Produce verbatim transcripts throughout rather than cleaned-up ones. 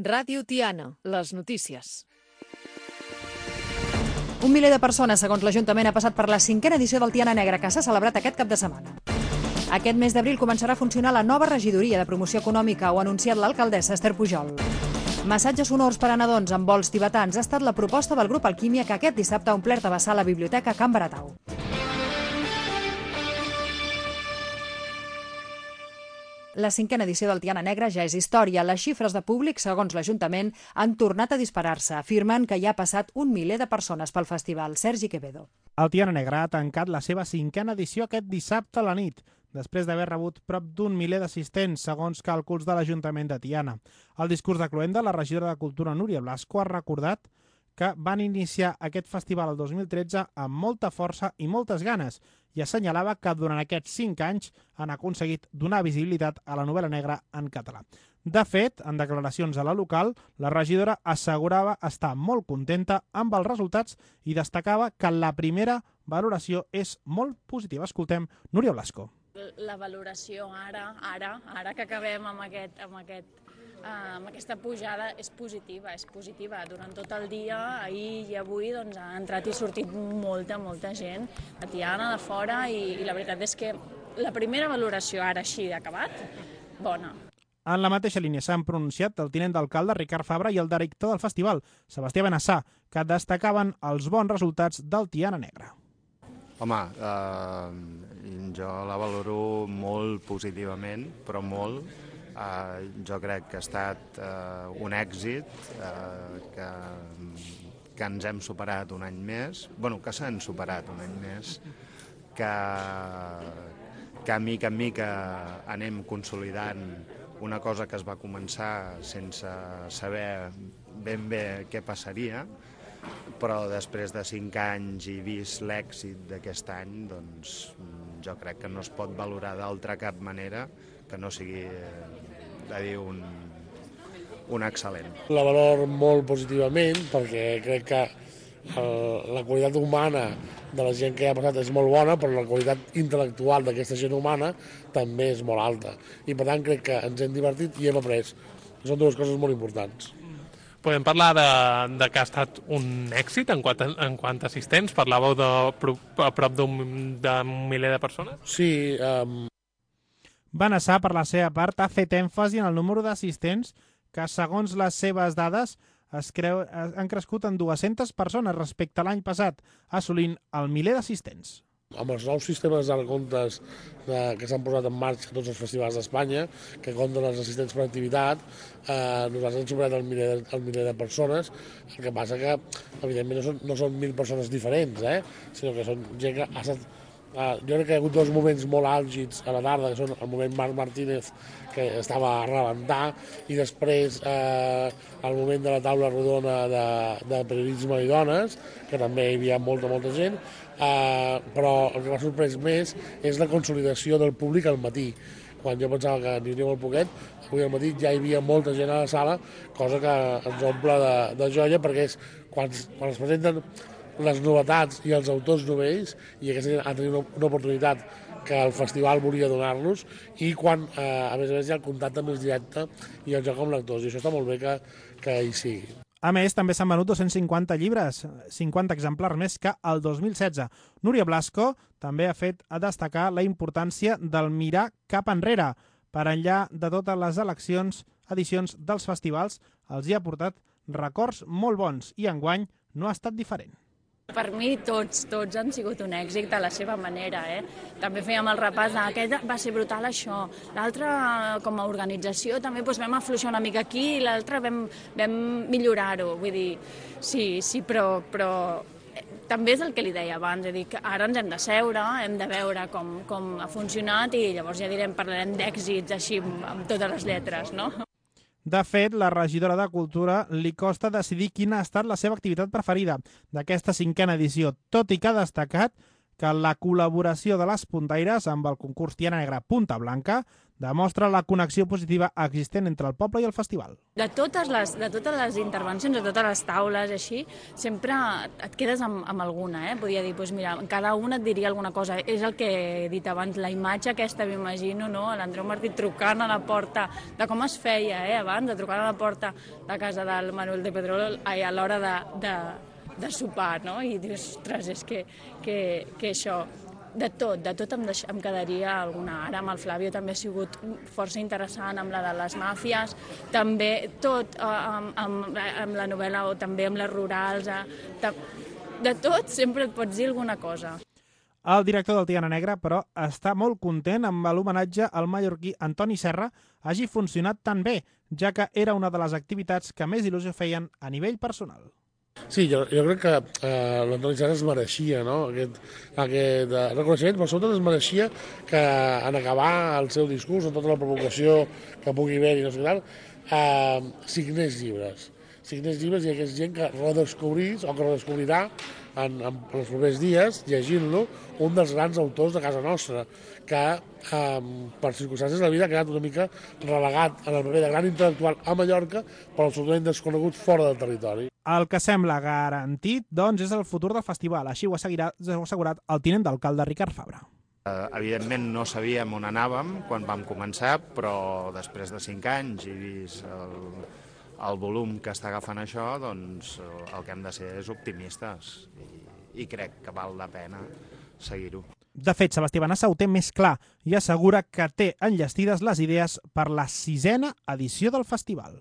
Ràdio Tiana, les notícies. Un miler de persones, segons l'Ajuntament, ha passat per la cinquena edició del Tiana Negra, que s'ha celebrat aquest cap de setmana. Aquest mes d'abril començarà a funcionar la nova regidoria de promoció econòmica, ho ha anunciat l'alcaldessa Esther Pujol. Massatges sonors per a nadons amb vols tibetans ha estat la proposta del grup Alquímia, que aquest dissabte ha omplert a vessar la biblioteca Can Baratau. La cinquena edició del Tiana Negra ja és història. Les xifres de públic, segons l'Ajuntament, han tornat a disparar-se, afirmen que hi ha passat un miler de persones pel festival. Sergi Quevedo. El Tiana Negra ha tancat la seva cinquena edició aquest dissabte a la nit, després d'haver rebut prop d'un miler d'assistents, segons càlculs de l'Ajuntament de Tiana. Al discurs de cloenda, la regidora de Cultura, Núria Blasco, ha recordat que van iniciar aquest festival el dos mil tretze amb molta força i moltes ganes i assenyalava que durant aquests cinc anys han aconseguit donar visibilitat a la novel·la negra en català. De fet, en declaracions a la local, la regidora assegurava estar molt contenta amb els resultats i destacava que la primera valoració és molt positiva. Escoltem Núria Blasco. La valoració ara, ara, ara que acabem amb aquest, amb aquest amb aquesta pujada és positiva, és positiva. Durant tot el dia, ahir i avui, doncs, ha entrat i sortit molta, molta gent de Tiana, de fora, i, i la veritat és que la primera valoració ara així d'acabat, bona. En la mateixa línia s'han pronunciat el tinent d'alcalde Ricard Fabra i el director del festival, Sebastià Benassà, que destacaven els bons resultats del Tiana Negra. Home, eh, jo la valoro molt positivament, però molt. Uh, jo crec que ha estat uh, un èxit, uh, que, que ens hem superat un any més, bueno, que s'han superat un any més, que, que a mica en mica anem consolidant una cosa que es va començar sense saber ben bé què passaria, però després de cinc anys i vist l'èxit d'aquest any, doncs jo crec que no es pot valorar d'altra cap manera que no sigui de dir un, un excel·lent. La valor molt positivament perquè crec que el, la qualitat humana de la gent que hi ha passat és molt bona, però la qualitat intel·lectual d'aquesta gent humana també és molt alta. I per tant crec que ens hem divertit i hem après. Són dues coses molt importants. Podem parlar de, de que ha estat un èxit en quant a, en quant a assistents? Parlàveu de a prop d'un miler de persones? Sí. Um... Benassà, per la seva part, ha fet èmfasi en el número d'assistents que, segons les seves dades, es creu, han crescut en dues-centes persones respecte a l'any passat, assolint el miler d'assistents. Amb els nous sistemes de comptes de, que s'han posat en marxa a tots els festivals d'Espanya, que compten els assistents per activitat, eh, nosaltres hem superat el miler, el miler de persones, el que passa que, evidentment, no són, no són mil persones diferents, eh, sinó que són gent que ha estat... Uh, jo crec que hi ha hagut dos moments molt àlgids a la tarda, que són el moment Marc Martínez, que estava a rebentar, i després uh, el moment de la taula rodona de, de periodisme i dones, que també hi havia molta, molta gent, uh, però el que m'ha sorprès més és la consolidació del públic al matí. Quan jo pensava que n'hi hauria molt poquet, avui al matí ja hi havia molta gent a la sala, cosa que ens omple de, de joia, perquè és quan, quan es presenten les novetats i els autors novells, i aquesta gent ha tingut una, una oportunitat que el festival volia donar-los, i quan, eh, a més a més, hi ha el contacte més directe i el joc amb lectors, i això està molt bé que, que hi sigui. A més, també s'han venut dos-cents cinquanta llibres, cinquanta exemplars més que el dos mil setze. Núria Blasco també ha fet a destacar la importància del mirar cap enrere. Per enllà de totes les eleccions, edicions dels festivals, els hi ha portat records molt bons, i enguany no ha estat diferent. Per mi tots, tots han sigut un èxit a la seva manera. Eh? També fèiem el repàs d'aquest, va ser brutal això. L'altre, com a organització, també doncs, vam afluixar una mica aquí i l'altre vam, vam millorar-ho. Vull dir, sí, sí, però, però també és el que li deia abans, és a dir, que ara ens hem de seure, hem de veure com, com ha funcionat i llavors ja direm, parlarem d'èxits així amb totes les lletres, no? De fet, la regidora de Cultura li costa decidir quina ha estat la seva activitat preferida d'aquesta cinquena edició, tot i que ha destacat que la col·laboració de les puntaires amb el concurs Tiana Negra Punta Blanca demostra la connexió positiva existent entre el poble i el festival. De totes les, de totes les intervencions, de totes les taules, així, sempre et quedes amb, amb alguna, eh? Podia dir, doncs mira, cada una et diria alguna cosa. És el que he dit abans, la imatge aquesta, m'imagino, no? L'Andreu Martí trucant a la porta, de com es feia, eh, abans, de trucar a la porta de casa del Manuel de Pedrolo a l'hora de, de, de sopar, no? I dius, ostres, és que, que, que això... De tot, de tot em, deix, em quedaria alguna. Ara amb el Flavio també ha sigut força interessant, amb la de les màfies, també tot, eh, amb, amb, amb la novel·la o també amb les rurals, eh, de tot sempre et pots dir alguna cosa. El director del Tiana Negra, però, està molt content amb l'homenatge al mallorquí Antoni Serra hagi funcionat tan bé, ja que era una de les activitats que més il·lusió feien a nivell personal. Sí, jo, jo crec que eh, l'Antoni Serra es mereixia, no?, aquest, aquest eh, reconeixement, però sobretot es mereixia que en acabar el seu discurs, en tota la provocació que pugui haver-hi, no sé què tal, eh, signés llibres. Signés llibres i hi hagués gent que redescobrís o que redescobrirà en, en els propers dies, llegint-lo, un dels grans autors de casa nostra, que eh, per circumstàncies de la vida ha quedat una mica relegat en el paper de gran intel·lectual a Mallorca, però absolutament desconegut fora del territori. El que sembla garantit, doncs, és el futur del festival. Així ho ha assegurat el tinent d'alcalde Ricard Fabra. Uh, evidentment no sabíem on anàvem quan vam començar, però després de cinc anys i vist el, el volum que està agafant això, doncs el que hem de ser és optimistes i, i crec que val la pena seguir-ho. De fet, Sebastià Benassa ho té més clar i assegura que té enllestides les idees per la sisena edició del festival.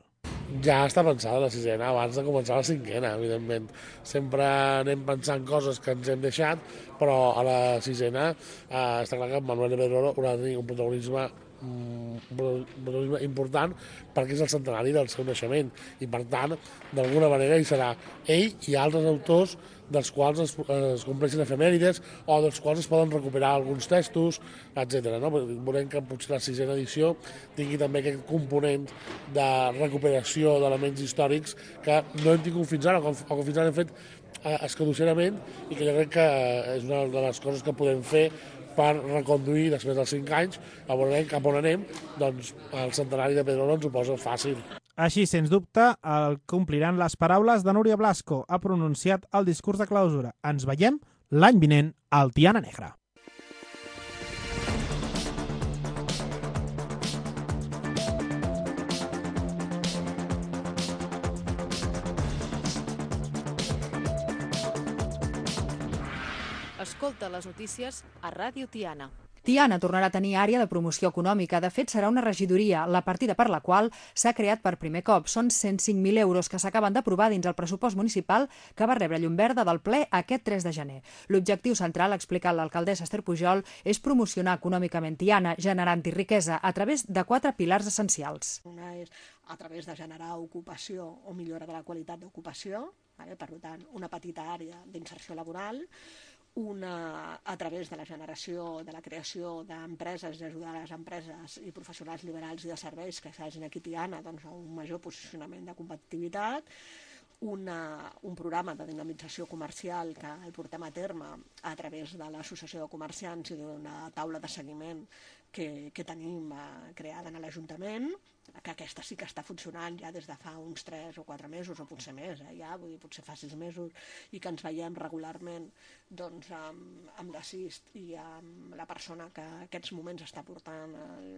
Ja està pensada la sisena abans de començar la cinquena, evidentment. Sempre anem pensant coses que ens hem deixat, però a la sisena eh, està clar que Manuel de Pedrolo haurà de tenir un protagonisme, un protagonisme important perquè és el centenari del seu naixement i, per tant, d'alguna manera hi serà ell i altres autors dels quals es, es compleixen efemèrides o dels quals es poden recuperar alguns textos, etcètera. No? Volem que potser la sisena edició tingui també aquest component de recuperació d'elements històrics que no hem tingut fins ara, o que fins ara hem fet eh, escadusserament, i que jo crec que és una de les coses que podem fer per reconduir després dels cinc anys, a veure cap on anem, doncs el centenari de Pedrolo ens ho posa fàcil. Així, sens dubte, el compliran les paraules de Núria Blasco. Ha pronunciat el discurs de clausura. Ens veiem l'any vinent al Tiana Negra. Escolta les notícies a Ràdio Tiana. Tiana tornarà a tenir àrea de promoció econòmica. De fet, serà una regidoria, la partida per la qual s'ha creat per primer cop. Són cent cinc mil euros que s'acaben d'aprovar dins el pressupost municipal que va rebre llum verda del ple aquest tres de gener. L'objectiu central, ha explicat l'alcaldessa Esther Pujol, és promocionar econòmicament Tiana, generant-hi riquesa a través de quatre pilars essencials. Una és a través de generar ocupació o millora de la qualitat d'ocupació, vale? Per tant, una petita àrea d'inserció laboral, una a través de la generació, de la creació d'empreses i ajudar a les empreses i professionals liberals i de serveis que s'hagin aquí a Tiana, doncs, a un major posicionament de competitivitat, una, un programa de dinamització comercial que el portem a terme a través de l'Associació de Comerciants i d'una taula de seguiment que, que tenim eh, creada en l'Ajuntament, que aquesta sí que està funcionant ja des de fa uns tres o quatre mesos, o potser més, eh, ja, vull dir, potser fa sis mesos, i que ens veiem regularment doncs, amb, amb l'assist i amb la persona que en aquests moments està portant el,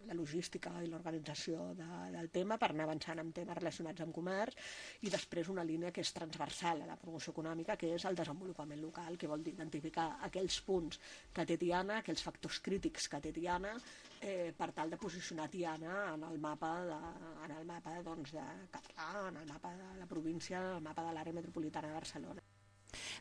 la logística i l'organització de, del tema per anar avançant amb temes relacionats amb comerç, i després una línia que és transversal a la promoció econòmica, que és el desenvolupament local, que vol dir identificar aquells punts que té Tiana, aquells factors crítics que té Tiana, eh, per tal de posicionar Tiana en el mapa, de, en el mapa doncs, de català, en el mapa de la província, en el mapa de l'àrea metropolitana de Barcelona.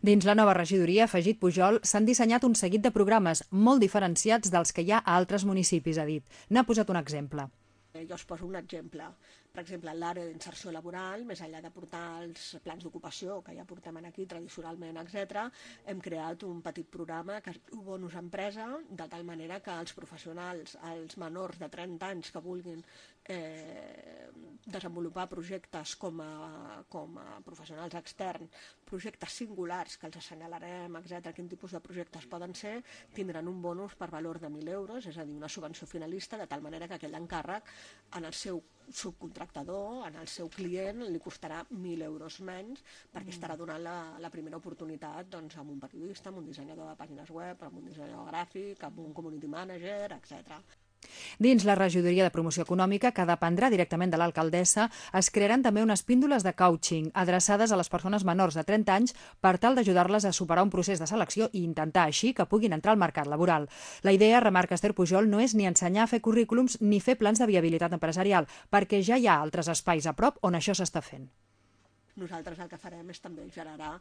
Dins la nova regidoria, ha afegit Pujol, s'han dissenyat un seguit de programes molt diferenciats dels que hi ha a altres municipis, ha dit. N'ha posat un exemple. Jo us poso un exemple. Per exemple, en l'àrea d'inserció laboral, més enllà de portar els plans d'ocupació, que ja portem aquí tradicionalment, etcètera, hem creat un petit programa que es diu Bonus Empresa, de tal manera que els professionals, els menors de trenta anys que vulguin eh, desenvolupar projectes com a, com a professionals externs, projectes singulars que els assenyalarem, etcètera, quin tipus de projectes poden ser, tindran un bonus per valor de mil euros, és a dir, una subvenció finalista, de tal manera que aquell encàrrec en el seu subcontractador, en el seu client, li costarà mil euros menys perquè estarà donant la, la primera oportunitat doncs, amb un periodista, amb un dissenyador de pàgines web, amb un dissenyador gràfic, amb un community manager, etcètera. Dins la regidoria de promoció econòmica, que dependrà directament de l'alcaldessa, es crearan també unes píndoles de coaching adreçades a les persones menors de trenta anys per tal d'ajudar-les a superar un procés de selecció i intentar així que puguin entrar al mercat laboral. La idea, remarca Esther Pujol, no és ni ensenyar a fer currículums ni fer plans de viabilitat empresarial, perquè ja hi ha altres espais a prop on això s'està fent. Nosaltres el que farem és també generar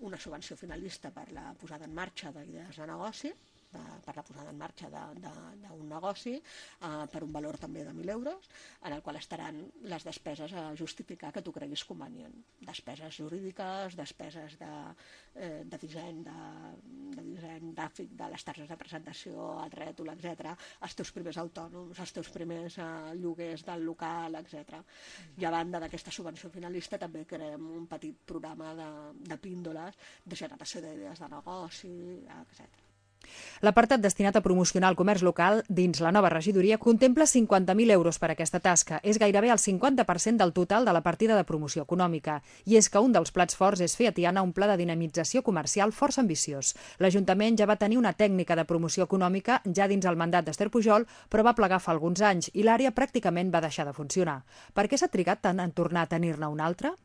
una subvenció finalista per la posada en marxa d'idees de negoci, de, per la posada en marxa d'un negoci eh, per un valor també de mil euros, en el qual estaran les despeses a justificar que tu creguis convenient. Despeses jurídiques, despeses de, eh, de disseny, de, de disseny gràfic, de les targes de presentació, el rètol, etcètera, els teus primers autònoms, els teus primers eh, lloguers del local, etcètera. I a banda d'aquesta subvenció finalista també creem un petit programa de, de píndoles de generació d'idees de negoci, etcètera. L'apartat destinat a promocionar el comerç local dins la nova regidoria contempla cinquanta mil euros per a aquesta tasca. És gairebé el cinquanta per cent del total de la partida de promoció econòmica. I és que un dels plats forts és fer a Tiana un pla de dinamització comercial força ambiciós. L'Ajuntament ja va tenir una tècnica de promoció econòmica ja dins el mandat d'Esther Pujol, però va plegar fa alguns anys i l'àrea pràcticament va deixar de funcionar. Per què s'ha trigat tant en tornar a tenir-ne una altra?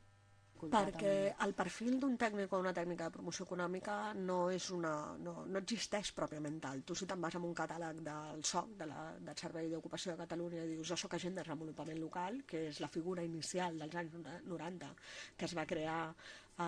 Perquè el perfil d'un tècnic o una tècnica de promoció econòmica no, és una, no, no existeix pròpiament tal. Tu si te'n vas amb un catàleg del S O C, de la, del Servei d'Ocupació de Catalunya, i dius jo soc agent de desenvolupament local, que és la figura inicial dels anys noranta, que es va crear a,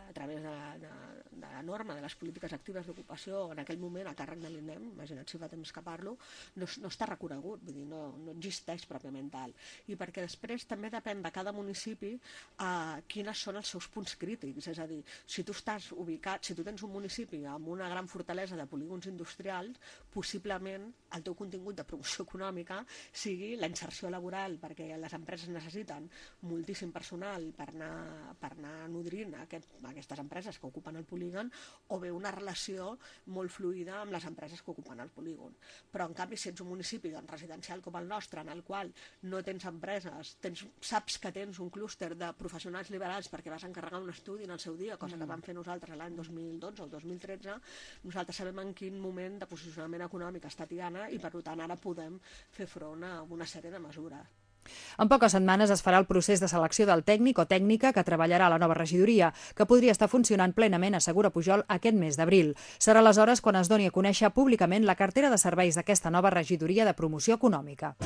a través de, de, de la norma de les polítiques actives d'ocupació en aquell moment a càrrec de l'INEM, imagina't si fa temps que parlo, no, no està reconegut, vull dir, no, no existeix pròpiament tal. I perquè després també depèn de cada municipi eh, quines són els seus punts crítics, és a dir, si tu estàs ubicat, si tu tens un municipi amb una gran fortalesa de polígons industrials, possiblement el teu contingut de promoció econòmica sigui la inserció laboral, perquè les empreses necessiten moltíssim personal per anar, per anar nodrint Aquest, aquestes empreses que ocupen el polígon, o bé una relació molt fluida amb les empreses que ocupen el polígon. Però en canvi, si ets un municipi doncs, residencial com el nostre, en el qual no tens empreses, tens, saps que tens un clúster de professionals liberals perquè vas encarregar un estudi en el seu dia, cosa que vam fer nosaltres l'any dos mil dotze o dos mil tretze, nosaltres sabem en quin moment de posicionament econòmic està Tiana i per tant ara podem fer front a una sèrie de mesures. En poques setmanes es farà el procés de selecció del tècnic o tècnica que treballarà a la nova regidoria, que podria estar funcionant plenament, assegura Pujol, aquest mes d'abril. Serà aleshores quan es doni a conèixer públicament la cartera de serveis d'aquesta nova regidoria de promoció econòmica.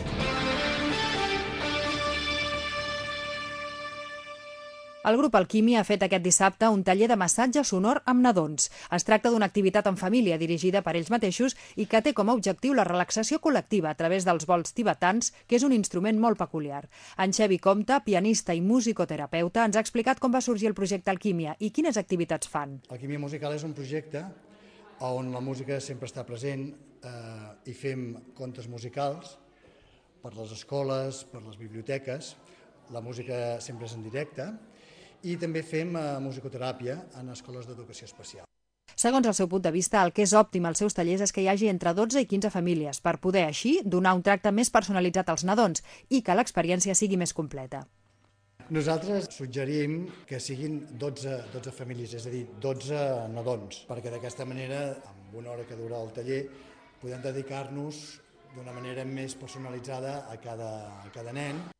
El grup Alquímia ha fet aquest dissabte un taller de massatge sonor amb nadons. Es tracta d'una activitat en família dirigida per ells mateixos i que té com a objectiu la relaxació col·lectiva a través dels bols tibetans, que és un instrument molt peculiar. En Xevi Comte, pianista i musicoterapeuta, ens ha explicat com va sorgir el projecte Alquímia i quines activitats fan. Alquímia Musical és un projecte on la música sempre està present eh, i fem contes musicals per les escoles, per les biblioteques. La música sempre és en directe. I també fem uh, musicoteràpia en escoles d'educació especial. Segons el seu punt de vista, el que és òptim als seus tallers és que hi hagi entre dotze i quinze famílies, per poder així donar un tracte més personalitzat als nadons i que l'experiència sigui més completa. Nosaltres suggerim que siguin dotze, dotze famílies, és a dir, dotze nadons, perquè d'aquesta manera, amb una hora que dura el taller, podem dedicar-nos d'una manera més personalitzada a cada, a cada nen.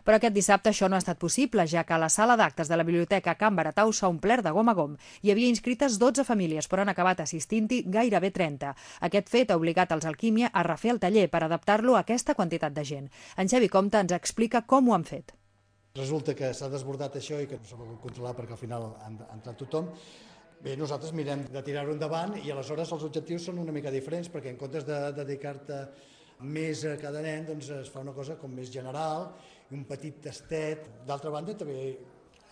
Però aquest dissabte això no ha estat possible, ja que la sala d'actes de la Biblioteca Can Baratau s'ha omplert de gom a gom. Hi havia inscrites dotze famílies, però han acabat assistint-hi gairebé trenta. Aquest fet ha obligat els Alquímia a refer el taller per adaptar-lo a aquesta quantitat de gent. En Xevi Comte ens explica com ho han fet. Resulta que s'ha desbordat això i que no s'ha pogut controlar perquè al final ha entrat tothom. Bé, nosaltres mirem de tirar-ho endavant i aleshores els objectius són una mica diferents, perquè en comptes de dedicar-te Més a cada nen doncs, es fa una cosa com més general, un petit tastet. D'altra banda, també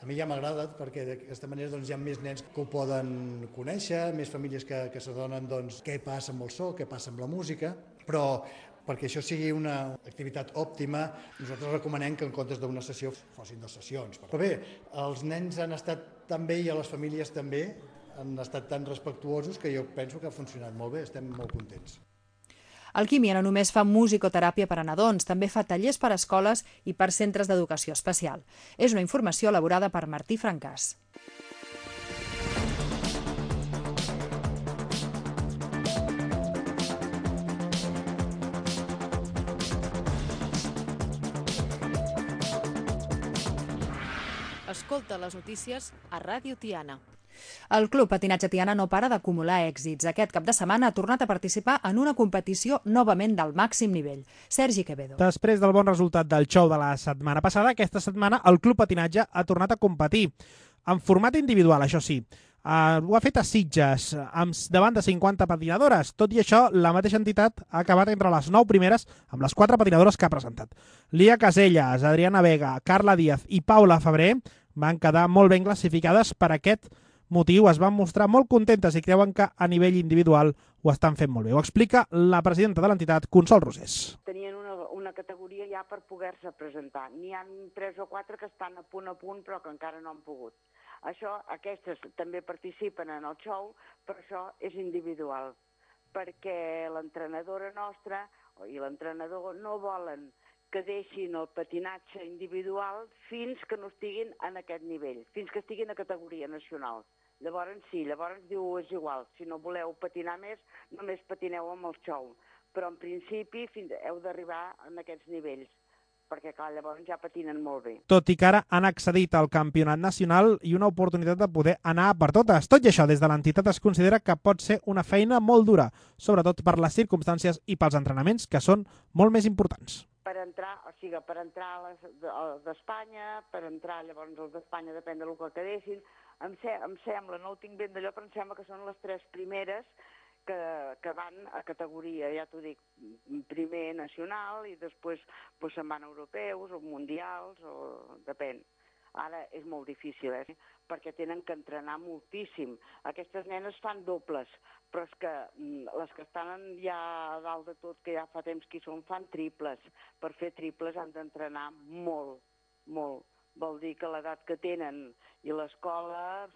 a mi ja m'agrada perquè d'aquesta manera doncs, hi ha més nens que ho poden conèixer, més famílies que, que s'adonen doncs, què passa amb el so, què passa amb la música, però perquè això sigui una activitat òptima, nosaltres recomanem que en comptes d'una sessió fossin dues sessions. Però bé, els nens han estat tan bé i a les famílies també han estat tan respectuosos que jo penso que ha funcionat molt bé, estem molt contents. Alquímia no només fa musicoteràpia per a nadons, també fa tallers per a escoles i per centres d'educació especial. És una informació elaborada per Martí Francàs. Escolta les notícies a Ràdio Tiana. El Club Patinatge Tiana no para d'acumular èxits. Aquest cap de setmana ha tornat a participar en una competició novament del màxim nivell. Sergi Quevedo. Després del bon resultat del show de la setmana passada, aquesta setmana el Club Patinatge ha tornat a competir. En format individual, això sí. Uh, ho ha fet a Sitges, amb, davant de cinquanta patinadores. Tot i això, la mateixa entitat ha acabat entre les nou primeres amb les quatre patinadores que ha presentat. Lia Casellas, Adriana Vega, Carla Díaz i Paula Febrer van quedar molt ben classificades per aquest motiu. Es van mostrar molt contentes i creuen que a nivell individual ho estan fent molt bé. Ho explica la presidenta de l'entitat, Consol Rosés. Tenien una, una categoria ja per poder-se presentar. N'hi ha tres o quatre que estan a punt a punt però que encara no han pogut. Això, aquestes també participen en el show, però això és individual, perquè l'entrenadora nostra i l'entrenador no volen que deixin el patinatge individual fins que no estiguin en aquest nivell, fins que estiguin a categoria nacional. Llavors sí, llavors diu és igual, si no voleu patinar més, només patineu amb el show. Però en principi fins, heu d'arribar en aquests nivells, perquè clar, llavors ja patinen molt bé. Tot i que ara han accedit al campionat nacional i una oportunitat de poder anar per totes. Tot i això, des de l'entitat es considera que pot ser una feina molt dura, sobretot per les circumstàncies i pels entrenaments, que són molt més importants. Per entrar, o sigui, per entrar a les d'Espanya, per entrar llavors els d'Espanya, depèn del que quedessin, em, se, em sembla, no ho tinc ben d'allò, però em sembla que són les tres primeres que, que van a categoria, ja t'ho dic, primer nacional i després pues, se'n van europeus o mundials, o depèn. Ara és molt difícil, eh? Perquè tenen que entrenar moltíssim. Aquestes nenes fan dobles, però és que les que estan ja a dalt de tot, que ja fa temps que hi són, fan triples. Per fer triples han d'entrenar molt, molt. Vol dir que l'edat que tenen i l'escola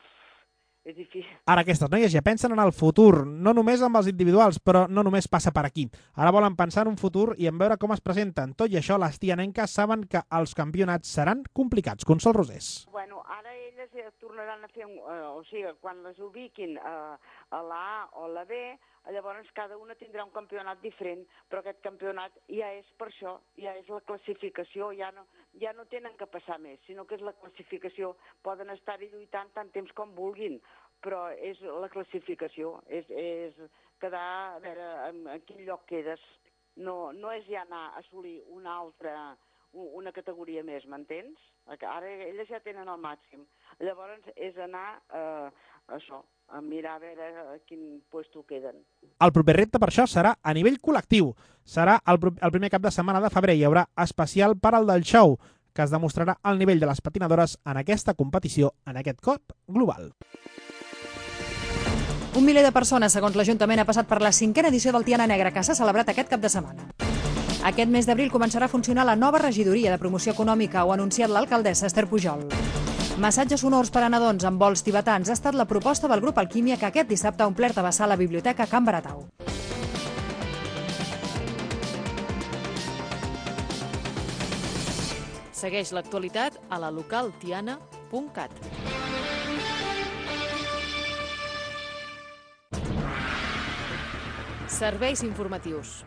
és difícil. Ara aquestes noies ja pensen en el futur, no només amb els individuals, però no només passa per aquí. Ara volen pensar en un futur i en veure com es presenten. Tot i això, les tianenques saben que els campionats seran complicats. Consol Rosés. Bueno, ara elles tornaran a fer, un, eh, o sigui, quan les ubiquin a, a la A o la B, llavors cada una tindrà un campionat diferent, però aquest campionat ja és per això, ja és la classificació, ja no, ja no tenen que passar més, sinó que és la classificació. Poden estar-hi lluitant tant temps com vulguin, però és la classificació, és, és quedar, a veure, en, en quin lloc quedes. No, no és ja anar a assolir una altra, una categoria més, m'entens? Ara elles ja tenen el màxim. Llavors és anar a això, a mirar a veure a quin puesto queden. El proper repte per això serà a nivell col·lectiu. Serà el, el primer cap de setmana de febrer. Hi haurà especial per al del show, que es demostrarà el nivell de les patinadores en aquesta competició, en aquest cop global. Un miler de persones, segons l'Ajuntament, ha passat per la cinquena edició del Tiana Negra, que s'ha celebrat aquest cap de setmana. Aquest mes d'abril començarà a funcionar la nova regidoria de promoció econòmica, ho ha anunciat l'alcaldessa Esther Pujol. Massatges sonors per a nadons amb vols tibetans ha estat la proposta del grup Alquímia, que aquest dissabte ha omplert a vessar la biblioteca Can Baratau. Segueix l'actualitat a la local tiana punt cat. Serveis informatius.